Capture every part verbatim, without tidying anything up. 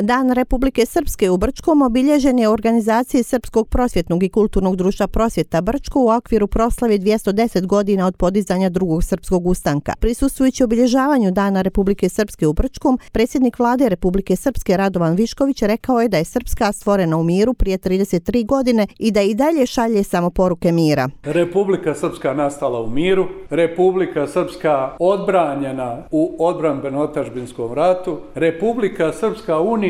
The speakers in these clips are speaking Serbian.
Dan Republike Srpske u Brčkom obilježen je u organizaciji Srpskog prosvjetnog i kulturnog društva Prosvjeta Brčko u okviru proslave dvjesto deset godina od podizanja drugog srpskog ustanka. Prisustvujući obilježavanju Dana Republike Srpske u Brčkom, predsjednik vlade Republike Srpske Radovan Višković rekao je da je Srpska stvorena u miru prije trideset tri godine i da i dalje šalje samo poruke mira. Republika Srpska nastala u miru, Republika Srpska odbranjena u odbrambeno-otadžbinskom ratu, Republika Srpska unijela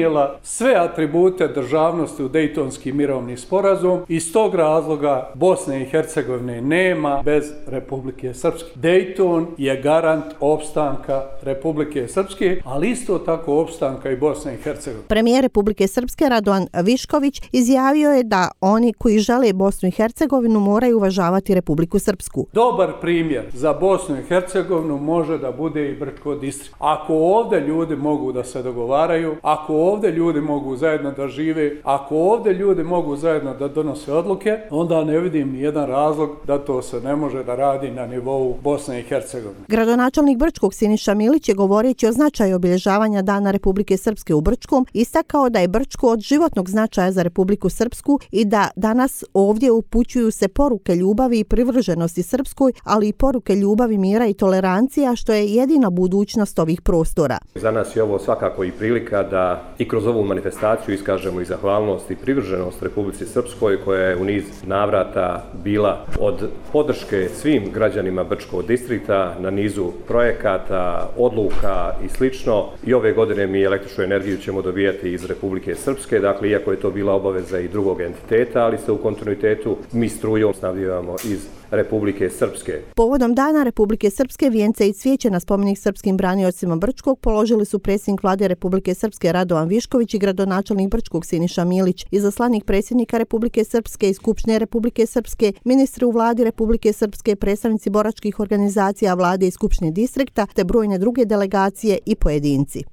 sve atribute državnosti u Dejtonski mirovni sporazum. Iz tog razloga Bosne i Hercegovine nema bez Republike Srpske. Dejton je garant opstanka Republike Srpske, ali isto tako opstanka i Bosne i Hercegovine. Premijer Republike Srpske Radovan Višković izjavio je da oni koji žele Bosnu i Hercegovinu moraju uvažavati Republiku Srpsku. Dobar primjer za Bosnu i Hercegovinu može da bude i Brčko distrikt. Ako ovdje ljudi mogu da se dogovaraju, ako ovdje ljudi mogu zajedno da žive, ako ovdje ljudi mogu zajedno da donose odluke, onda ne vidim ni jedan razlog da to se ne može da radi na nivou Bosne i Hercegovine. Gradonačelnik Brčkog Siniša Milić je govoreći o značaju obilježavanja Dana Republike Srpske u Brčkom istakao da je Brčko od životnog značaja za Republiku Srpsku i da danas ovdje upućuju se poruke ljubavi i privrženosti Srpskoj, ali i poruke ljubavi, mira i tolerancija, što je jedina budućnost ovih prostora. Za nas je ovo svakako i prilika da i kroz ovu manifestaciju iskažemo i zahvalnost i privrženost Republici Srpskoj, koja je u niz navrata bila od podrške svim građanima Brčkog distrikta na nizu projekata, odluka i slično. I ove godine mi električnu energiju ćemo dobijati iz Republike Srpske, dakle iako je to bila obaveza i drugog entiteta, ali se u kontinuitetu mi strujom snabdijevamo iz Republike Srpske. Povodom Dana Republike Srpske vijence i cvijeće na spomenik srpskim braniocima Brčkog položili su predsjednik vlade Republike Srpske Radovan Višković i gradonačelnik Brčkog Siniša Milić, izaslanik predsjednika Republike Srpske i Skupštine Republike Srpske, ministri u vladi Republike Srpske, predstavnici boračkih organizacija vlade i Skupštine distrikta te brojne druge delegacije i pojedinci.